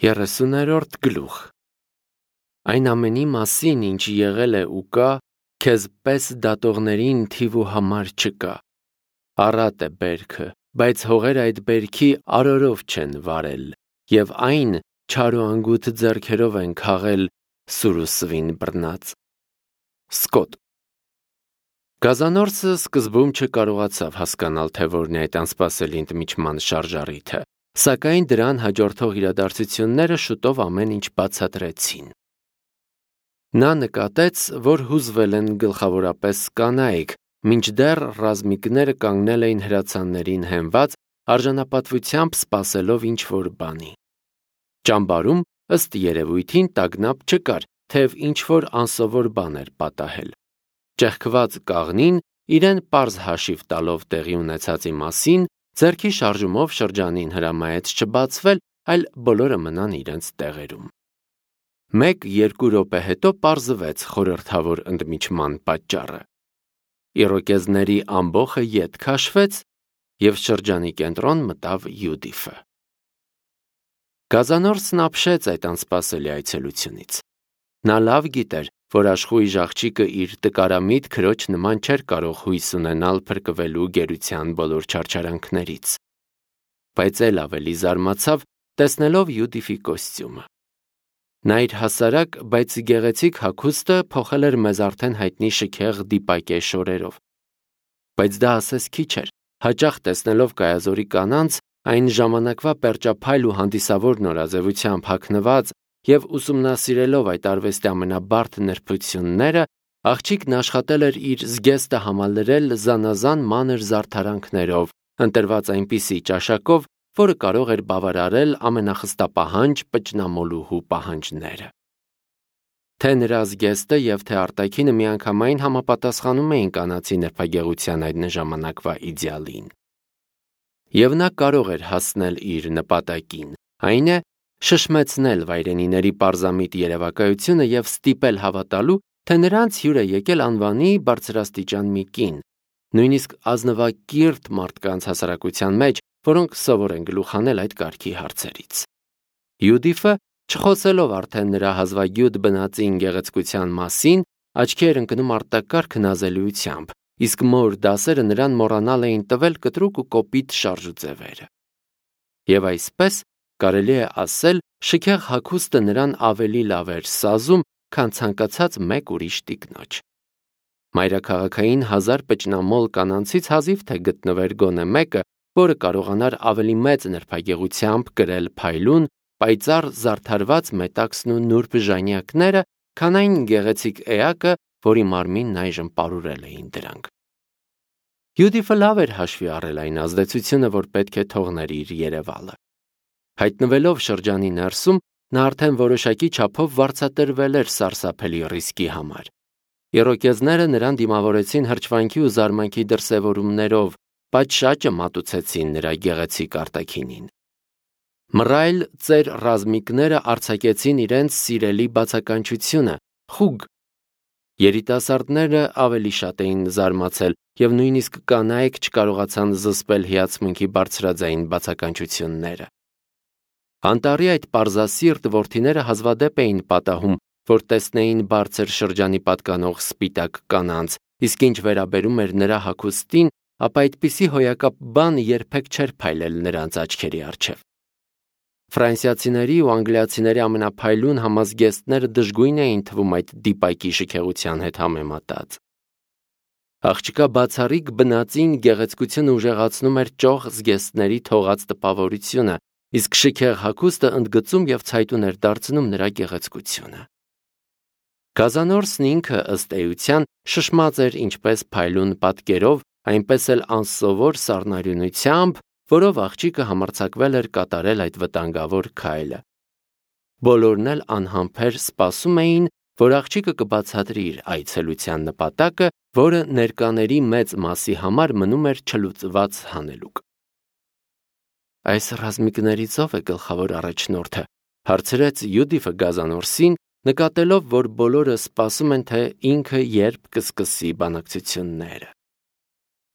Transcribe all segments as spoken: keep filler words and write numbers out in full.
երեսուներորդ գլուխ Այն ամենի մասին, ինչ եղել է ու կա, քեզ պես դատողներին թիվ ու համար չկա։ Առատ է բերքը, բայց հողերը այդ բերքի արորով չեն վարել, և այն չար ու անգութ ձեռքերով են քաղել սուր ու սվին բռնած։ Սկոտ Գազանորսը սկզբում չկարողացավ հասկանալ, թե որն է այդ անսպասելի ընդմիջման շարժառիթը, սակայն դրան հաջորդող իրադարձությունները շուտով ամեն ինչ բացատրեցին։ Նա նկատեց, որ հուզվել են գլխավորապես կանայք, մինչդեռ ռազմիկները կանգնել էին հրացաններին հենված, արժանապատվությամբ սպասելով ինչ-որ բանի։ Ճամբարում, ըստ երևույթին, տագնապ չկար, թեև ինչ-որ անսովոր բան էր պատահել։ Ճեղքված կաղնին, իրեն պարզ հաշիվ տալով տեղի ունեցածի մասին, ձեռքի շարժումով շրջանին հրամայեց չբացվել, այլ բոլորը մնան իրենց տեղերում։ Մեկ-երկու րոպե հետո պարզվեց խորհրդավոր ընդմիջման պատճառը։ Իրոկեզների ամբոխը ետ քաշվեց, և շրջանի կենտրոն մտավ Յուդիֆը։ Գազանորսն ապշեց այդ անսպասելի այցելությունից։ Նա լավ գիտեր, որ աշխույժ աղջիկը իր տկարամիտ քրոջ նման չէր կարող հույս ունենալ փրկվելու գերության բոլոր չարչարանքներից։ Բայց էլ ավելի զարմացավ, տեսնելով Յուդիֆի կոստյումը։ Նա իր հասարակ, բայց գեղեցիկ հագուստը փոխել էր մեզ արդեն հայտնի շքեղ դիպակե շորերով։ Բայց դա ասես քիչ էր, հաճախ տեսնելով կայազորի կանանց, այն ժամանակվա պերճափայլ ու հանդիսավոր նորաձևությամբ հագնված և ուսումնասիրելով այդ արվեստի ամենաբարդ նրբությունները, աղջիկն աշխատել էր իր զգեստը համալրել զանազան մանր զարդարանքներով, ընտրված այնպիսի ճաշակով, որը կարող էր բավարարել ամենախստապահանջ պճնամոլուհու պահանջները։ Թե նրա զգեստը և թե արտաքինը միանգամայն համապատասխանում էին կանացի նրբագեղության այդ ժամանակվա իդեալին։ Եվ նա կարող էր հասնել իր նպատակին, այն է, շշմեցնել վայրենիների պարզամիտ երևակայությունը և ստիպել հավատալու, թե նրանց հյուր է եկել անվանի բարձրաստիճան մի կին, նույնիսկ ազնվակիրթ մարդկանց հասարակության մեջ, որոնք սովոր են գլուխ հանել այդ կարգի հարցերից։ Յուդիֆը, չխոսելով արդեն նրա հազվագյուտ բնածին գեղեցկության մասին, աչքի էր ընկնում արտակարգ նազելիությամբ, իսկ մոր դասերը նրան մոռանալ էին տվել կտրուկ ու կոպիտ շարժուձևերը։ Եվ այսպես, կարելի է ասել, շքեղ հագուստը նրան ավելի լավ էր սազում, քան ցանկացած մեկ ուրիշ տիկնոջ։ Մայրաքաղաքային հազար պճնամոլ կանանցից հազիվ թե գտնվեր գոնե մեկը, որը կարողանար ավելի մեծ նրբագեղությամբ կրել փայլուն, պայծառ զարդարված մետաքսն ու նուրբ ժանյակները, քան այն գեղեցիկ էակը, որի մարմինն այժմ պարուրել էին դրանք։ Յուդիֆը լավ էր հաշվի առել այն ազդեցությունը, որ պետք է թողներ իր երևալը։ Հայտնվելով շրջանի ներսում, նա արդեն որոշակի չափով վարձատրվել էր սարսափելի ռիսկի համար։ Իրոկեզները նրան դիմավորեցին հրճվանքի ու զարմանքի դրսևորումներով, պատշաճը մատուցեցին նրա գեղեցիկ արտաքինին։ Մռայլ ծեր ռազմիկները արձակեցին իրենց սիրելի բացականչությունը, խուգ։ Երիտասարդները ավելի շատ էին զարմացել, և նույնիսկ կանայք չկարողացան զսպել հիացմունքի բարձրաձայն բացականչությունները։ Անտառի այդ պարզասիրտ որդիները հազվադեպ էին պատահում, որ տեսնեին բարձր շրջանի պատկանող սպիտակ կանանց, իսկ ինչ վերաբերում էր նրա հագուստին, ապա այդպիսի հոյակապ բան երբեք չէր փայլել նրանց աչքերի առջև։ Ֆրանսիացիների ու անգլիացիների ամենափայլուն համազգեստները դժգույն էին թվում այդ դիպակի շքեղության հետ համեմատած։ Աղջկա բացառիկ բնածին գեղեցկությունը ուժեղացնում էր ճոխ զգեստների թողած տպավորությունը, իսկ շքեղ հագուստը ընդգծում և ցայտուն էր դարձնում նրա գեղեցկությունը։ Գազանորսն ինքը, ըստ էության, շշմած էր ինչպես փայլուն պատկերով, այնպես էլ անսովոր սառնարյունությամբ, որով աղջիկը համարձակվել էր կատարել այդ վտանգավոր քայլը։ Բոլորն էլ անհամբեր սպասում էին, որ աղջիկը կբացատրի իր այցելության նպատակը, որը ներկաների մեծ մասի համար մնում էր չլուծված հանելուկ։ Այս ռազմիկներից ո՞վ է գլխավոր առաջնորդը, հարցրեց Յուդիֆը Գազանորսին, նկատելով, որ բոլորը սպասում են, թե ինքը երբ կսկսի բանակցությունները։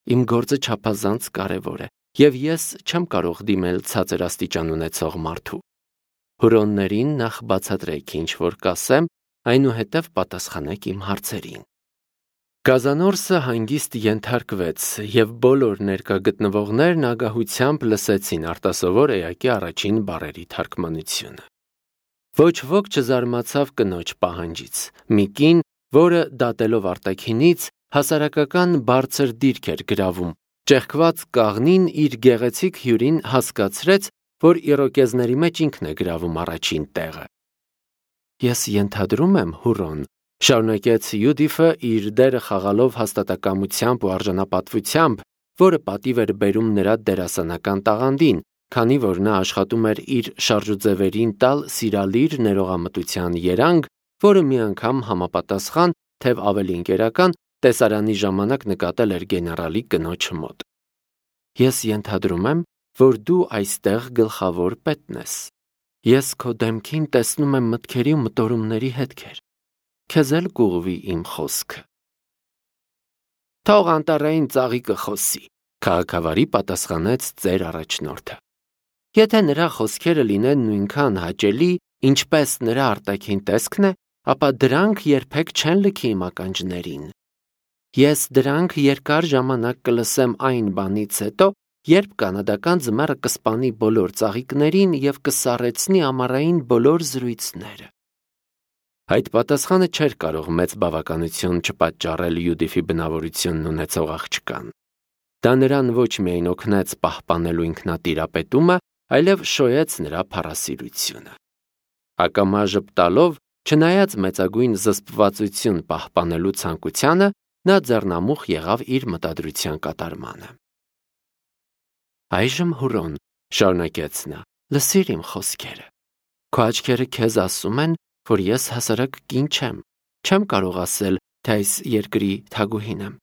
Իմ գործը չափազանց կարևոր է, և ես չեմ կարող դիմել ցածր աստիճան ունեցող մարդու։ Հուրոններին նախ բացատրեք ինչ որ կասեմ, այնուհետև պատասխանեք իմ հարցերին։ Կազանորսը հանգիստ ենթարկվեց, և բոլոր ներկա գտնվողներն ագահությամբ լսեցին արտասովոր էակի առաջին բառերի թարգմանությունը։ Ոչ ոք չզարմացավ կնոջ պահանջից։ Մի կին, որը դատելով արտաքինից հասարակական բարձր դիրք էր գրավում, ճեղքված կաղնին իր գեղեցիկ հյուրին հասկացրեց, որ իրոկեզների մեջ ինքն է գրավում առաջին տեղը։ Ես ենթադրում եմ, Հուրոն, շարունակեց Յուդիֆը իր դերը խաղալով հաստատակամությամբ ու արժանապատվությամբ, որը պատիվ էր բերում նրա դերասանական տաղանդին, քանի որ նա աշխատում էր իր շարժուձևերին տալ սիրալիր ներողամտության երանգ, որը մի անգամ համապատասխան, թեև ավելի ընկերական, տեսարանի ժամանակ նկատել էր գեներալի կնոջ մոտ։ Ես ենթադրում եմ, որ դու այստեղ գլխավոր պետն ես։ Ես քո դեմքին տեսնում եմ մտքերի ու մտորումների հետքեր։ Քեզ էլ կուղվի իմ խոսքը։ Թող անտառային ծաղիկը խոսի, քաղաքավարի պատասխանեց ծեր առաջնորդը։ Եթե նրա խոսքերը լինեն նույնքան հաճելի, ինչպես նրա արտաքին տեսքն է, ապա դրանք երբեք չեն լքի իմ ականջներին։ Ես դրանք երկար ժամանակ կլսեմ այն բանից հետո, երբ կանադական ձմեռը կսպանի բոլոր ծաղիկներին և կսառեցնի ամառային բոլոր զրույցները։ Այդ պատասխանը չէր կարող մեծ բավականություն չպատճառել Յուդիֆի բնավորությունն ունեցող աղջկան։ Դա նրան ոչ միայն օգնեց պահպանելու ինքնատիրապետումը, այլև շոյեց նրա փառասիրությունը։ Ակամա ժպտալով, չնայած մեծագույն զսպվածություն պահպանելու ցանկությանը, նա ձեռնամուխ եղավ իր մտադրության կատարմանը։ Այժմ Հուրոն, շարունակեց նա, լսիր իմ խոսքերը։ Քո աչքերը քեզ ասում են, որ ես հասարակ կին չեմ, չեմ կարող ասել, թե այս երկրի թագուհին եմ։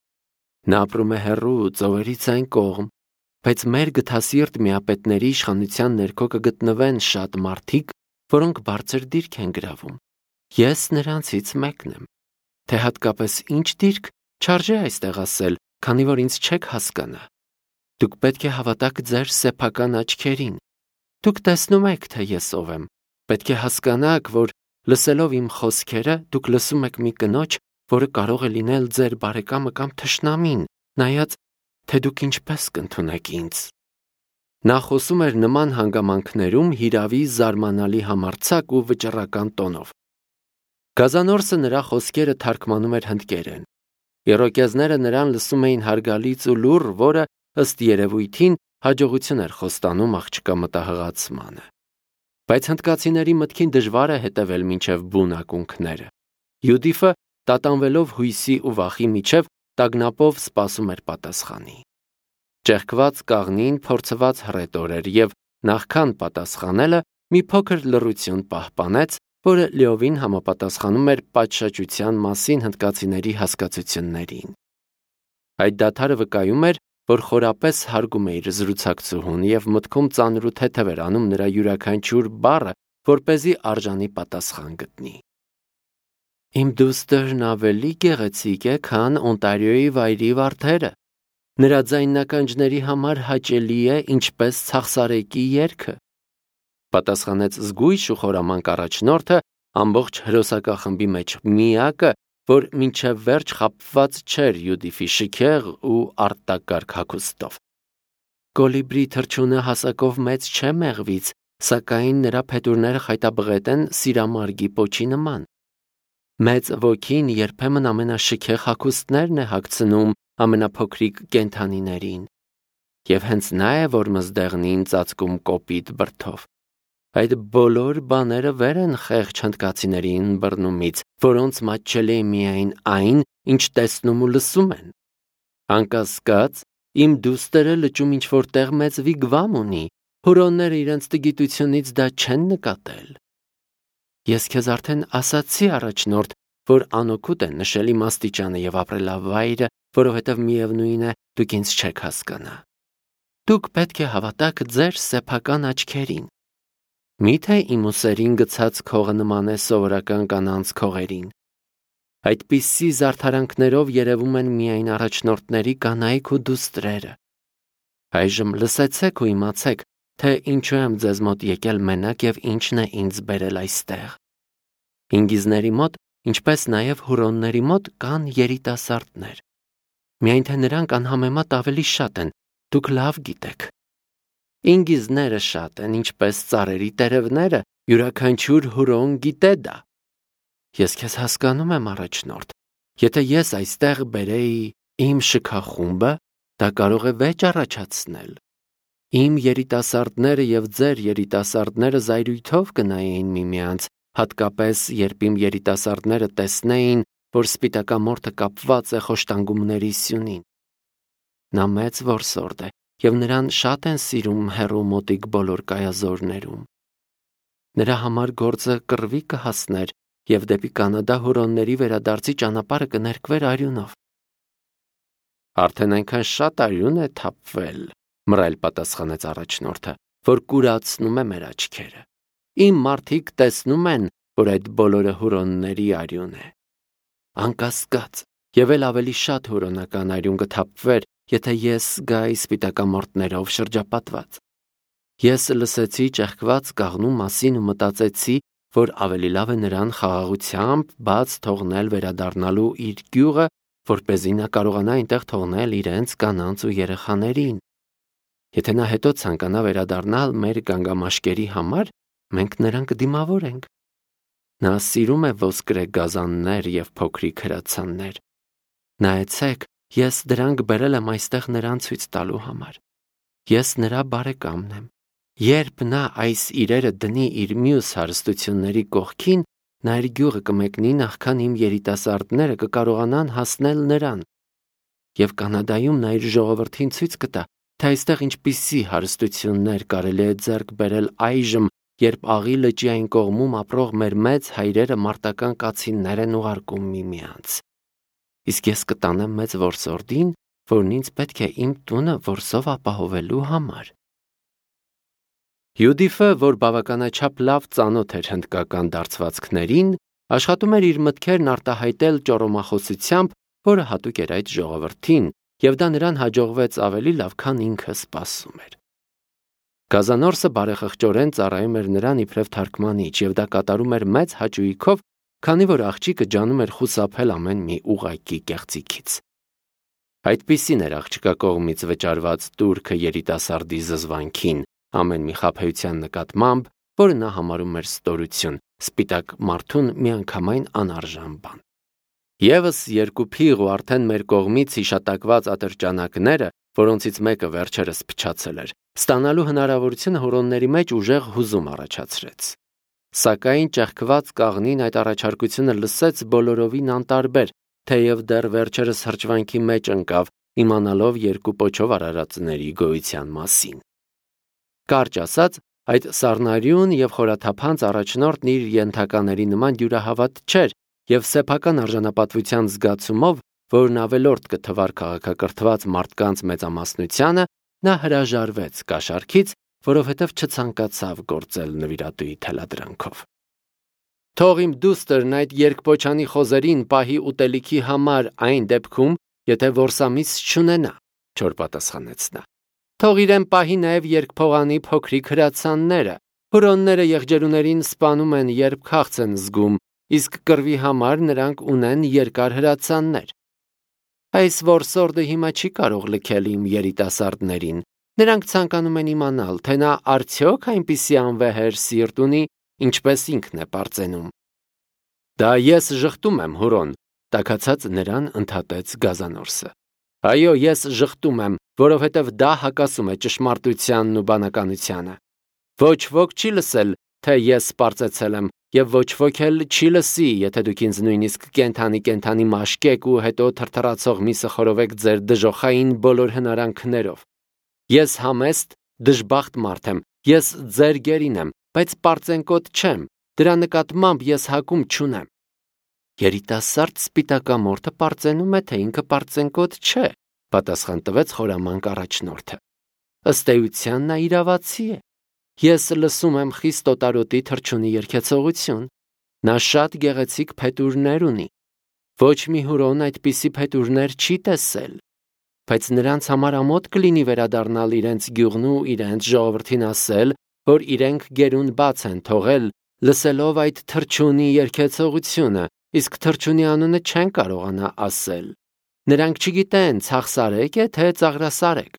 Նա ապրում է հեռու ծովերից այն կողմ, բայց մեր գթասիրտ միապետների իշխանության ներքո կգտնվեն շատ մարդիկ, որոնք բարձր դիրք են գրավում։ Ես նրանցից մեկն եմ։ Թե հատկապես ինչ դիրք, չարժե այստեղ ասել, քանի որ ինձ չեք հասկանա։ Դուք պետք է հավատաք ձեր սեփական աչքերին։ Դուք տեսնում եք, թե ես ով եմ։ Պետք է հասկանաք, որ լսելով իմ խոսքերը, դուք լսում եք մի կնոջ, որը կարող է լինել ձեր բարեկամը կամ թշնամին, նայած, թե դուք ինչպես կընդունեք ինձ։ Նա խոսում էր նման հանգամանքներում հիրավի զարմանալի համարձակ ու վճռական տոնով։ Գազանորսը նրա խոսքերը թարգմանում էր հնդկերեն։ Իրոկեզները նրան լսում էին հարգալից ու լուռ, որը, ըստ երևույթին, հաջողություն էր խոստանում աղջկա մտահղացմանը։ Բայց հնդկացիների մտքին դժվար է հետևել մինչև բուն ակունքները։ Յուդիֆը, տատանվելով հույսի ու վախի միջև, տագնապով սպասում էր պատասխանի։ Ճեղքված կաղնին փորձված հռետոր էր և նախքան պատասխանելը մի փոքր լռություն պահպանեց, որը լիովին համապատասխանում էր պատշաճության մասին հնդկացիների հասկացություններին։ Այդ դադարը վկայում էր, որ խորապես հարգում է իր զրուցակցուհուն և մտքում ծանր ու թեթև էր անում նրա յուրաքանչյուր բառը, որպեսզի արժանի պատասխան գտնի։ Իմ դուստրն ավելի գեղեցիկ է, քան Օնտարիոյի վայրի վարդերը։ Նրա ձայնականջների համար հաճելի է, ինչպես ցախսարեկի երգը, պատասխանեց զգույշ ու խորամանկ առաջնորդը, ամբողջ հրոսակախմբի մեջ միակը, որ մինչև վերջ խաբված չէր Յուդիֆի շքեղ ու արտակարգ հագուստով։ Կոլիբրի թռչունը հասակով մեծ չէ մեղվից, սակայն նրա փետուրները խայտաբղետ են սիրամարգի պոչի նման։ Մեծ ոգին երբեմն ամենաշքեղ հագուստներն է հագցնում ամենափոքրիկ կենդանիներին, և հենց նա է, որ մզդեղնին ծածկում կոպիտ բրդով։ Այդ բոլոր բաները վեր են խեղճ հնդկացիների ըմբռնումից, որոնց մատչելի է միայն այն, ինչ տեսնում ու լսում են։ Անկասկած, իմ դուստերը լճում ինչ-որ տեղ մեծ վիգվամ ունի, հուրոնները իրենց տգիտությունից դա չեն նկատել։ Ես քեզ արդեն ասացի, առաջնորդ, որ անօգուտ է նշել իմ աստիճանը և ապրելավայրը, որովհետև միևնույն է, դուք ինձ չեք հասկանա։ Դուք պետք է հավատաք ձեր սեփական աչքերին։ Մի՞թե իմ ուսերին գցած քողը նման է սովորական կանանց քողերին։ Այդպիսի զարդարանքներով երևում են միայն առաջնորդների կանայք ու դուստրերը։ Այժմ լսեցեք ու իմացեք, թե ինչու եմ ձեզ մոտ եկել մենակ եւ ինչն է ինձ բերել այստեղ։ Ինգիզների մոտ, ինչպես նաև հուրոնների մոտ կան երիտասարդներ։ Միայն թե նրանք անհամեմատ ավելի շատ են, դուք լավ գիտեք։ Ինգիզները շատ են, ինչպես ծառերի տերևները, յուրաքանչյուր հուրոն գիտե դա։ Ես քեզ հասկանում եմ, առաջնորդ։ Եթե ես այստեղ բերեի իմ շքախումբը, դա կարող է վեճ առաջացնել։ Իմ երիտասարդները եւ ձեր երիտասարդները զայրույթով կնայեին միմյանց, հատկապես երբ իմ երիտասարդները տեսնեին, որ սպիտակամորթը կապված է խոշտանգումների սյունին։ Նա մեծ որսորդ է, եւ նրան շատ են սիրում հեռու մոտիկ բոլոր կայազորներում։ Նրա համար գործը կռվի կհասներ եւ դեպի Կանադա հուրոնների վերադարձի ճանապարհը կներկվեր արյունով։ Արդեն այնքան շատ արյուն է թափվել, մռայլ պատասխանեց առաջնորդը, որ կուրացնում է մեր աչքերը։ Իմ մարդիկ տեսնում են, որ այդ բոլորը հուրոնների արյուն է։ Անկասկած, եւ էլ ավելի շատ հուրոնական արյուն կթափվեր, եթե ես գայի սպիտակամորթներով շրջապատված։ Ես լսեցի ճեղքված կաղնու մասին ու մտածեցի, որ ավելի լավ է նրան խաղաղությամբ բաց թողնել վերադառնալու իր գյուղը, որպեսզի նա կարողանա այնտեղ թողնել իրենց կանանց ու երեխաներին։ Եթե նա հետո ցանկանա վերադառնալ մեր գանգամաշկերի համար, մենք նրան կդիմավորենք։ Նա սիրում է ոսկրե գազաններ եւ փոքրիկ հրացաններ։ Նայեցեք, ես դրանք բերել եմ այստեղ նրան ցույց տալու համար։ Ես նրա բարեկամն եմ։ Երբ նա այս իրերը դնի իր մյուս հարստությունների կողքին, նա իր գյուղը կմեկնի նախքան իմ երիտասարդները կկարողանան հասնել նրան։ Եվ Կանադայում նա իր ժողովրդին ցույց կտա, թե այստեղ ինչպիսի հարստություններ կարելի է ձեռք բերել այժմ, երբ Աղի լճի այն կողմում ապրող մեր մեծ հայրերը մարտական կացիններ են ուղարկում միմյանց։ Իսկ ես կտանեմ մեծ որսորդին, որն ինձ պետք է իմ տունը որսով ապահովելու համար։ Յուդիֆը, որ բավականաչափ լավ ծանոթ էր հնդկական դարձվածքներին, աշխատում էր իր մտքերն արտահայտել ճորոմախոսությամբ, որը հատուկ էր այդ ժողովրդին, եւ դա նրան հաջողվեց ավելի լավ, քան ինքը սպասում էր։ Գազանորսը բարեխղճորեն ծառայում էր նրան իբրև թարգմանիչ, եւ դա կատարում էր մեծ հաճույքով, քանի որ աղջիկը ջանում էր խուսափել ամեն մի ուղղակի կեղծիքից։ Այդպիսին էր աղջկա կողմից վճարված տուրքը երիտասարդի զզվանքին, ամեն մի խաբեության նկատմամբ, որը նա համարում էր ստորություն, սպիտակ մարդուն միանգամայն անարժան բան։ Եվս երկու փիղ ու արդեն մեր կողմից հիշատակված ատրճանակները, որոնցից մեկը վերջերս փչացել էր, ստանալու հնարավորությունը հուրոնների մեջ ուժեղ հուզում առաջացրեց։ Սակայն ճեղքված կաղնին այդ առաջարկությունը լսեց բոլորովին անտարբեր, թեև դեռ վերջերս հրճվանքի մեջ ընկավ, իմանալով երկու պոչով արարածների գոյության մասին։ Կարճ ասած, այդ սառնարյուն եւ խորաթափանց առաջնորդն իր ենթակաների նման դյուրահավատ չէր եւ սեփական արժանապատվության զգացումով, որն ավելորդ կթվար քաղաքակրթված մարդկանց մեծամասնությանը, նա հրաժարվեց կաշառքից, որովհետև չցանկացավ գործել նվիրատուի թելադրանքով։ Թող իմ դուստրն այդ երկպոչանի խոզերին պահի ուտելիքի համար այն դեպքում, եթե որսամիս չունենա, չոր պատասխանեց նա։ Թող իրեն պահի նաև երկփողանի փոքրիկ հրացանները, հուրոնները եղջերուներին սպանում են, երբ քաղց են զգում, իսկ կռվի համար նրանք ունեն երկար հրացաններ։ Այս որսորդը հիմա չի կարող լքել իմ երիտասարդներին։ Նրանք ցանկանում են իմանալ, թե նա արդյոք այնպիսի անվեհեր սիրտ ունի, ինչպես ինքն է պարծենում։ Դա ես ժխտում եմ, հուրոն, տաքացած նրան ընդհատեց Գազանորսը։ Այո, ես ժխտում եմ, որովհետև դա հակասում է ճշմարտությանն ու բանականությանը։ Ոչ ոք չի լսել, թե ես պարծեցել եմ, եւ ոչ ոք էլ չի լսի, եթե դուք ինձ նույնիսկ կենթանի-կենթանի մաշկեք ու հետո թրթռացող միսը խորովեք ձեր դժոխային բոլոր հնարանքներով։ Ես համեստ, դժբախտ մարդ եմ, ես ձեր գերին եմ, բայց պարծենկոտ չեմ, դրա նկատմամբ ես հակում չունեմ։ Երիտասարդ սպիտակամորթը պարծենում է, թե ինքը պարծենկոտ չէ, պատասխան տվեց խորամանկ առաջնորդը։ Ըստ էության նա իրավացի է։ Ես լսում եմ խիստ օտարոտի թռչունի երգեցողություն։ Նա շատ գեղեցիկ փետուրներ ունի։ Ոչ մի հուրոն այդպիսի փետուրներ չի տեսել։ բայց նրանց համար ամոթ կլինի վերադառնալ իրենց գյուղն ու իրենց ժողովրդին ասել, որ իրենք գերուն բաց են թողել, լսելով այդ թռչունի երգեցողությունը, իսկ թռչունի անունը չեն կարողանա ասել։ Նրանք չգիտեն ցախսարեք է, թե ծաղրասարեք։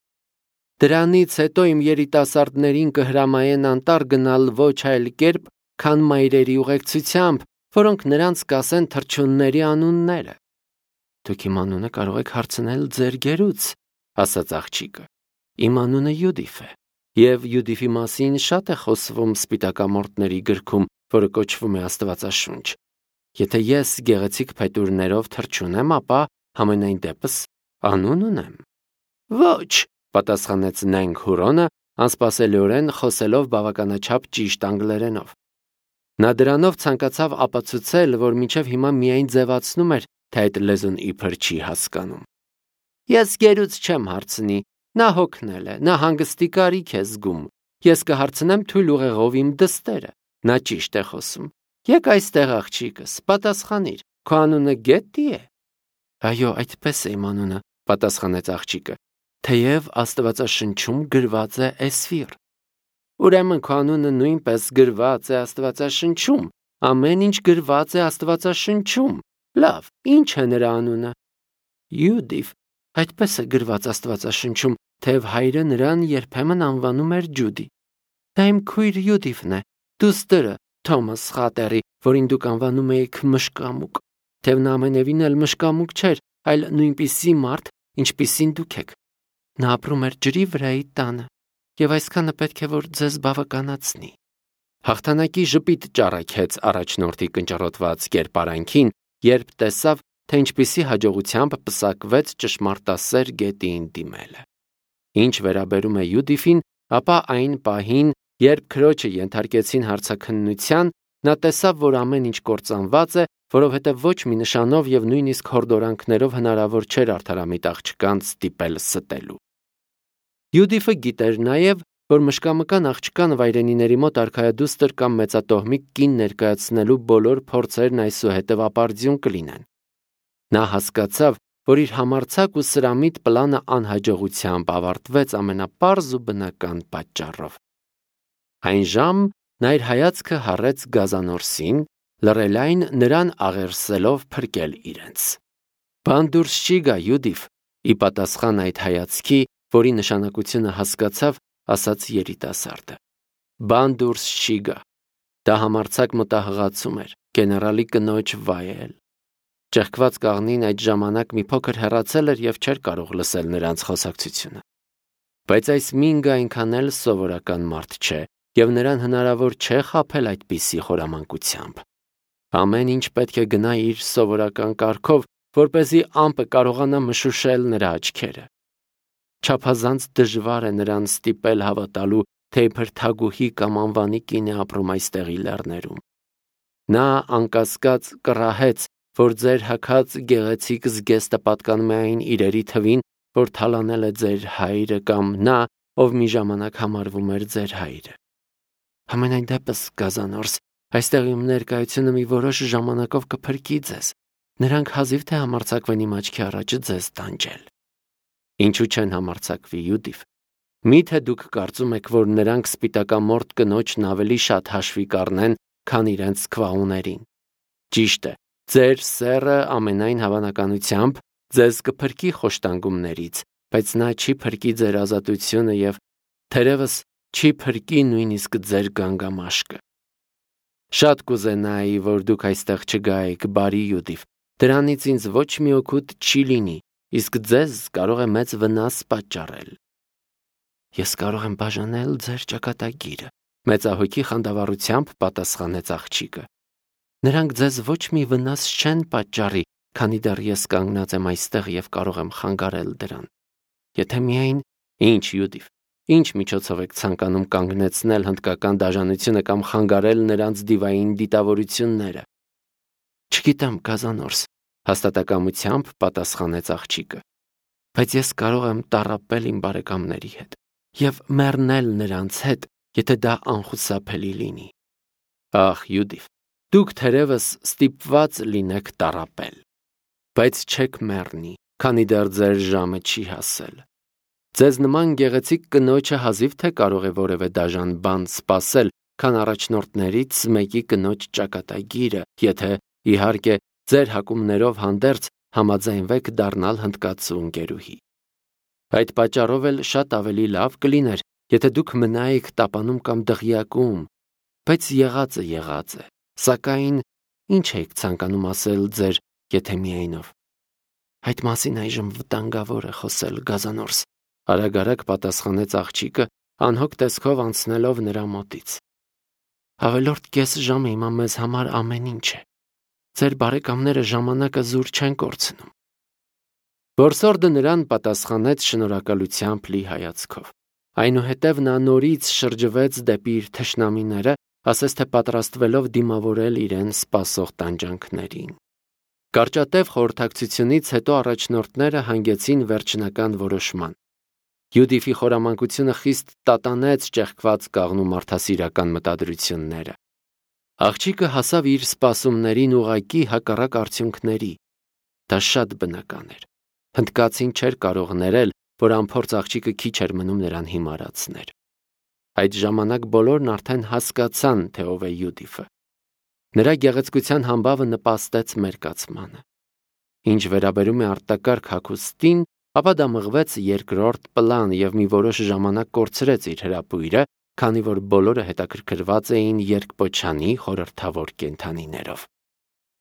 Դրանից հետո իմ երիտասարդներին կհրամայեն անտառ գնալ ոչ այլ կերպ, քան մայրերի ուղեկցությամբ, որոնք նրանց կասեն թռչունների անունները։ Դուք իմ անունը կարող եք հարցնել ձեր գերուց, ասաց աղջիկը։ Իմ անունը Յուդիֆ է, եւ Յուդիֆի մասին շատ է խոսվում Սպիտակամորտների գրքում, որը կոչվում է Աստվածաշունչ։ Եթե ես գեղեցիկ փետուրներով թռչուն եմ, ապա համենայն դեպս անուն ունեմ։ Ոչ, պատասխանեց Նենք Հուրոնը, անսպասելիորեն խոսելով բավականաչափ ճիշտ անգլերենով։ Նա դրանով ցանկացավ ապացուցել, որ մինչև հիմա միայն ձևացնում էր, թե այդ լեզուն իբր չի հասկանում։ Ես գերուց չեմ հարցնի, նա հոգնել է, նա հանգստի կարիք է զգում։ Ես կհարցնեմ թույլ ուղեղով իմ դստերը։ Նա ճիշտ է խոսում։ Եկ այստեղ աղջիկս, պատասխանիր, քո անունը Գետտի է։ Այո, այդպես է իմ անունը, պատասխանեց աղջիկը, թեև Աստվածաշնչում գրված է Էսֆիր։ Ուրեմն քո անունը նույնպես գրված է Աստվածաշնչում, ամեն ինչ գրված է Աստվածաշնչում։ Լավ, ինչ է նրա անունը։ Յուդիֆ, այդպես է գրված Աստվածաշնչում, թեև հայրը նրան երբեմն անվանում էր Ջուդի։ Դա իմ քույր Յուդիֆն է, դուստրը, Թոմաս Խատերի, որին դուք անվանում եք մշկամուկ, թեև նա ամենևին էլ մշկամուկ չէր, այլ նույնպիսի մարդ, ինչպիսին դուք եք։ Նա ապրում էր ջրի վրայի տանը, եւ այսքանը պետք է որ ձեզ բավականացնի։ Հաղթանակի ժպիտ ճառագեց առաջնորդի կնճռոտված կերպարանքին, երբ տեսավ, թե ինչպիսի հաջողությամբ պսակվեց ճշմարտասեր Գետիին դիմելը։ Ինչ վերաբերում է Յուդիֆին, ապա այն պահին, երբ քրոջը ենթարկեցին հարցաքննության, նա տեսավ, որ ամեն ինչ կործանված է, որովհետև ոչ մի նշանով եւ նույնիսկ հորդորանքներով հնարավոր չէր արդարամիտ աղջկանց ստիպել ստելու։ Յուդիֆը գիտեր նաև, որ մշկամկան աղջկան վայրենիների մոտ արքայադուստր կամ մեծատոհմիկ կին ներկայացնելու բոլոր փորձերն այսուհետև ապարդյուն կլինեն։ Նա հասկացավ, որ իր համարձակ ու սրամիտ պլանը անհաջողությամբ ավարտվեց ամենապարզ ու բնական պատճառով։ Այն ժամ նա իր հայացքը հառեց գազանորսին, լռել այն նրան աղերսելով փրկել իրենց։ Բան դուրս չի գա, Յուդիֆ, ի պատասխան այդ հայացքի, որի նշանակությունը հասկացավ, ասաց երիտասարդը։ Բան դուրս չի գա։ Դա համարձակ մտահղացում էր, գեներալի կնոջ վայել։ Ճեղքված կաղնին այդ ժամանակ մի փոքր հեռացել էր եւ չէր կարող լսել նրանց խոսակցությունը։ Բայց այս Մինգը այնքան էլ սովորական մարդ չէ, եւ նրան հնարավոր չէ խաբել այդպիսի խորամանկությամբ։ Ամեն ինչ պետք է գնա իր սովորական կարգով, որպեսզի ամպը կարողանա մշուշել նրա աչքերը։ Չափազանց դժվար է նրան ստիպել հավատալու, թե իբր թագուհի կամ անվանի կին է ապրում այստեղի լեռներում։ Նա անկասկած կռահեց, որ ձեր հագած գեղեցիկ զգեստը պատկանում է այն իրերի թվին, որ թալանել է ձեր հայրը կամ նա, ով մի ժամանակ համարվում էր ձեր հայրը։ Համենայն դեպս, գազանորս, այստեղ իմ ներկայությունը մի որոշ ժամանակով կփրկի ձեզ։ Նրանք հազիվ թե համարձակվեն իմ աչքի առաջ ձեզ տանջել։ Ինչու չեն համարձակվի, Յուդիֆ։ Միթե դուք կարծում եք, որ նրանք սպիտակամորտ կնոջն ավելի շատ հաշվի կառնեն, քան իրենց քվաուներին։ Ճիշտ է, ձեր սեռը ամենայն հավանականությամբ ձեզ կփրկի խոշտանգումներից, բայց նա չի փրկի ձեր ազատությունը եւ թերևս չի փրկի նույնիսկ ձեր գանգամաշկը։ Շատ կուզենայի, որ դուք այստեղ չգայիք, բարի Յուդիֆ, դրանից ինձ ոչ մի օգուտ չի լինի, իսկ ձեզ կարող է մեծ վնաս պատճառել։ Ես կարող եմ բաժանել ձեր ճակատագիրը, մեծահոգի խանդավառությամբ պատասխանեց աղջիկը։ Նրանք ձեզ ոչ մի վնաս չեն պատճառի, քանի դեռ ես կանգնած եմ այստեղ եւ կարող եմ խանգարել դրան։ Եթե միայն ինչ, Յուդիֆ, ինչ միջոցով եք ցանկանում կանգնեցնել հնդկական դաժանությունը կամ խանգարել նրանց դիվային դիտավորությունները։ Չգիտեմ, գազանորս, հաստատակամությամբ պատասխանեց աղջիկը։ Բայց ես կարող եմ տառապել իմ բարեկամների հետ եւ մեռնել նրանց հետ, եթե դա անխուսափելի լինի։ Ախ, Յուդիֆ, դուք թերևս ստիպված լինեք տառապել, բայց չեք մեռնի, քանի դեռ ձեր ժամը չի հասել։ Ձեզ նման գեղեցիկ կնոջը հազիվ թե կարող է որևէ դաժան բան սպասել, քան առաջնորդներից մեկի կնոջ ճակատագիրը, եթե, իհարկե, ձեր հակումներով հանդերձ համաձայնվեք դառնալ հնդկացու ընկերուհի։ Այդ պատճառով էլ շատ ավելի լավ կլիներ, եթե դուք մնայիք տապանում կամ դղյակում, բայց եղածը եղած է, սակայն ինչ եք ցանկանում ասել ձեր եթե միայնով։ Այդ մասին այժմ վտանգավոր է խոսել, Գազանորս, արագ-արագ պատասխանեց աղջիկը, անհոգ տեսքով անցնելով նրա մոտից։ Ավելորդ կես ժամը հիմա մեզ համար ամեն ինչ է։ Ձեր բարեկամները ժամանակը զուր չեն կորցնում։ Որսորդը նրան պատասխանեց շնորհակալությամբ լի հայացքով։ Այնուհետև նա նորից շրջվեց դեպի իր թշնամիները, ասես թե պատրաստվելով դիմավորել իրեն սպասող տանջանքներին։ Կարճատև խորհրդակցությունից հետո առաջնորդները հանգեցին վերջնական որոշման։ Յուդիֆի խորամանկությունը խիստ տատանեց ճեղքված կաղնու մարդասիրական մտադրությունները։ Աղջիկը հասավ իր սպասումներին ուղղակի հակառակ արդյունքների։ Դա շատ բնական էր։ Հնդկացին չէր կարող ներել, որ անփորձ աղջիկը քիչ էր մնում նրան հիմարացներ։ Այդ ժամանակ բոլորն արդեն հասկացան, թե ով է Յուդիֆը։ Նրա գեղեցկության համբավը նպաստեց մերկացմանը։ Ինչ վերաբերում է արտակարգ հագուստին, ապա դա մղվեց երկրորդ պլան և մի որոշ ժամանակ կորցրեց իր հրապույրը, քանի որ բոլորը հետաքրքրված էին երկպոչանի խորհրդավոր կենդանիներով։